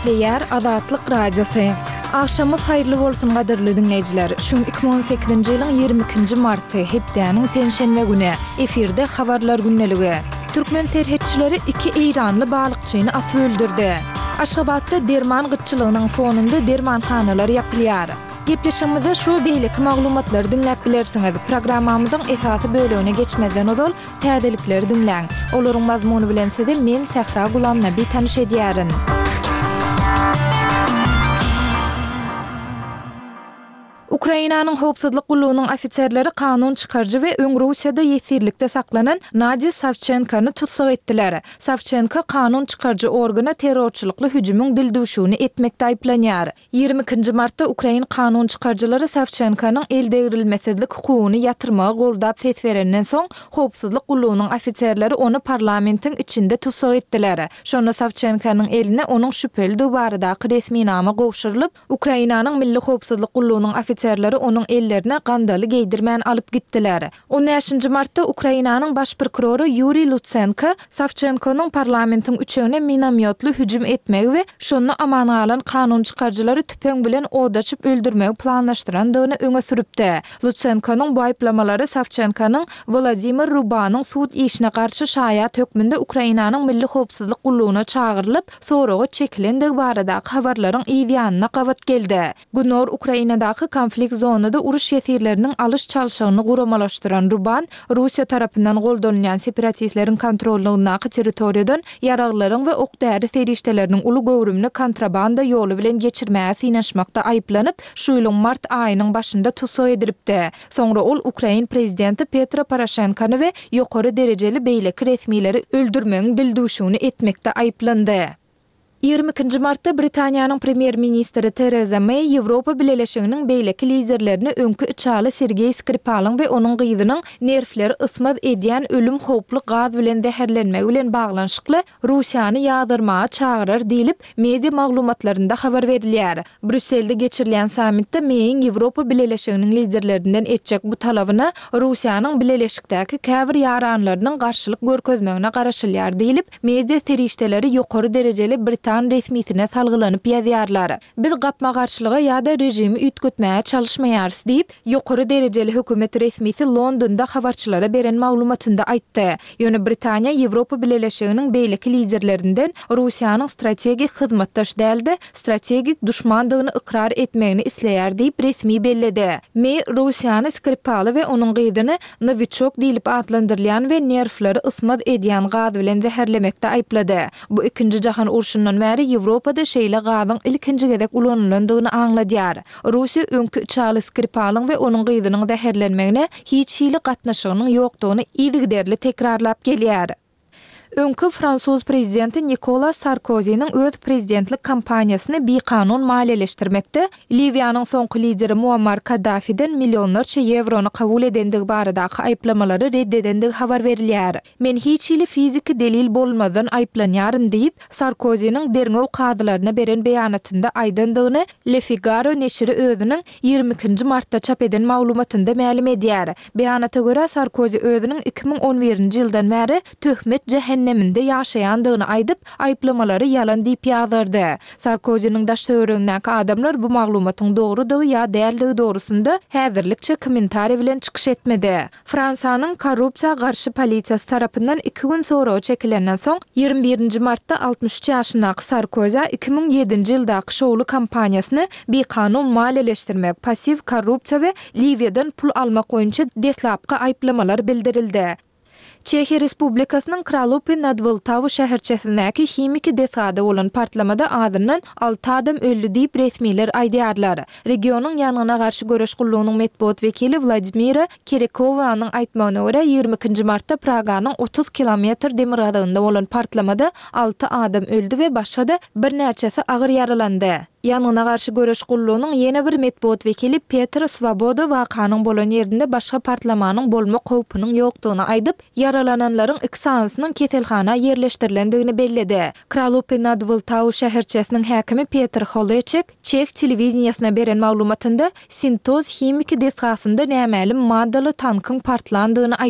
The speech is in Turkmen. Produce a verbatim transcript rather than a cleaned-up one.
Gepleýär Azatlyk Radiosy. Agşamyňyz haýyrly bolsun gadyrly diňleýjiler. Şu gün iki müň on sekizinji ýylyň ýigrimi ikinji marty, hepdäniň penşenbe güni. Efirde Habarlar gündeligi. Türkmen serhetçileri iki eýranly balykçyny atyp öldürdi. Aşgabatda derman gytçylygynyň fonunda dermanhanalar ýapylýar. Gepleşigimizde şu we beýleki maglumatlary diňläp bilersiňiz. Programmamyzyň esasy bölegine geçmezden ozal, täzelikleri diňläň. Olaryň mazmuny bilen sizi men, Sähra Gulamnabi tanyş edýärin. Ukrainanyň howpsuzlyk gullugynyň ofiserleri kanun çykaryjy we öň Russiýada ýesirlikde saklanan Nadýa Sawçenkony tussag etdiler. Sawçenko kanun çykaryjy organa terrorçylykly hüjümiň dildüwşügini etmekde aýyplanýar. Ýigrimi ikinji martda ukrain kanun çykaryjylary Sawçenkonyň eldegrilmesizlik hukugyny ýatyrmagy goldap ses berenden soň, howpsuzlyk gullugynyň ofiserleri ony parlamentiň içinde tussag etdiler. Şonda Sawçenkonyň eline onuň şübhelidigi baradaky resminama gowşurylyp, Ukrainanyň Milli howpsuzlyk gullugynyň ofiserleri onuň ellerine gandaly geýdirmän alyp gitdiler. On bäşinji martda Ukrainanyň baş prokurory Ýuriý Lutsenko Sawçenkonyň parlamentiň üçegine minomýotly hüjüm etmegi we şonda aman galan kanun çykaryjylary tüpeň bilen od açyp öldürmegi planlaşdyrandygyny öňe sürüpdi. Lutsenkonyň bu aýyplamalary Sawçenkonyň Wolodymyr Rubanyň sud işine garşy şaýat hökmünde Ukrainanyň Milli howpsuzlyk gullugyna çagyrylyp, soraga çekilendigi baradaky habarlaryň yz ýanyna gabat geldi. Günorta Ukrainadaky konflikt zonada uruş ýesirleriniň alyş-çalşygyny guramalaşdyran Ruban, Russiýa tarapyndan goldanylýan separatistleriň kontrollygyndaky territoriýadan ýaraglaryň we ok-däri serişdeleriniň uly göwrümini kontrabanda ýoly bilen geçirmäge synanyşmakda aýyplanyp, şu ýylyň mart aýynyň başynda tussag edilipdi. Soňra ol ukrain prezidenti Petro Poroşenkony we ýokary derejeli beýleki resmileri öldürmegiň dildüwşügini etmekde aýyplandy. Ýigrimi ikinji martda Britaniýanyň premýer-ministri Tereza Meý Ýewropa Bileleşiginiň beýleki liderlerini öňki içaly Sergeý Skripalyň we onuň gyzynyň nerwleri ysmaz edýän ölüm howply gaz bilen zäherlenmegi bilen baglanyşykly Russiýany ýazgarmaga çagyrar diýlip, media maglumatlarynda habar berilýär. Brýusselde geçirilýän sammitde Meýiň Ýewropa Bileleşiginiň liderlerinden etjek bu talabyna Russiýanyň bileleşikdäki käbir ýaranlarynyň garşylyk görkezmegine garaşylýar diýlip, media serişdeleri ýokary derejeli britan resmisine salgylanyp ýazýarlar. Biz gapma-garşylyga ýa-da režimi üýtgetmäge çalyşmaýarys diýip, ýokary derejeli hökümet resmisi Londonda habarçylara beren maglumatynda aýtdy. Ýöne Britaniýa Ýewropa Bileleşiginiň beýleki liderlerinden Russiýanyň strategik hyzmatdaş däl-de, strategik duşmandygyny ykrar etmegini isleýär diýip, resmi belledi. Meý Russiýany Skripaly we onuň gyzyny Nowiçok diýlip atlandyrylýan we nerwleri ysmaz edýän gaz bilen zäherlemekde aýyplady. Bu Ikinji jahan urşundan bäri Ýewropada şeýle gazyň ilkinji gezek ulanylandygyny aňladýar. Russiýa öňki içaly Skripalyň we onuň gyzynyň zäherlenmegine hiç hili gatnaşygynyň ýokdugyny yzygiderli tekrarlap gelýär. Öňki fransuz prezidenti Nikola Sarkoziniň öz prezidentlik kampaniýasyny bikanun maliýeleşdirmekde Liwiýanyň soňky lideri Muammar Kaddafiden millionlarça ýewrony kabul edendigi baradaky aýyplamalary red edendigi habar berilýär. Men hiç hili fiziki delil bolmazdan aýyplanýaryn diýip, Sarkoziniň derňew kazylaryna beren beýanatynda aýdandygyny Le Figaro neşiri özüniň ýigrimi ikinji martda çap eden maglumatynda mälim edýär. Beýanata görä, Sarkozi özüniň iki müň on birinji ýyldan bäri töhmet jähenneminde ýaşaýandygyny aýdyp, aýyplamalary ýalan diýip ýazgardy. Sarkoziniň daş-töweregindäki adamlar bu maglumatyň dogrudygy ýa däldigi dogrusynda häzirlikçe kommentariý bilen çykyş etmedi. Fransiýanyň korrupsiýa garşy polisiýasy tarapyndan iki gün soraga çekilenden soň, ýigrimi birinji martda altmyş üç ýaşyndaky Sarkozä iki müň ýedinji ýyldaky şowly kampaniýasyny bikanun maliýeleşdirmek, passiw korrupsiýa we Liwiýadan pul almak boýunça deslapky aýyplamalar bildirildi. Çehiýa Respublikasynyň Kralupy nad Wltawu şäherçesindäki himiki desgada bolan partlamada azyndan alty adam öldi diýip, resmiler aýdýarlar. Regionyň ýangyna garşy göreş gullugynyň metbugat wekili Wladimira Kerekowanyň aýtmagyna görä, ýigrimi ikinji martda Praganyň otuz kilometr demirgazygynda bolan partlamada alty adam öldi we başga-da birnäçesi agyr ýaralandy. Ýangyna garşy göreş gullugynyň ýene bir metbugat wekili Petr Swoboda wakanyň bolan ýerinde başga partlamanyň bolmak howpunyň ýokdugyny aýdyp, ýaralananlaryň iki sanysynyň keselhana ýerleşdirilendigini belledi. Kralupy nad Wltawu şäherçesiniň häkimi Petr Holeçek çeh telewideniýesine beren maglumatynda Sintoz himiki desgasynda nämälim maddaly tankyň partlandygyny aýtdy.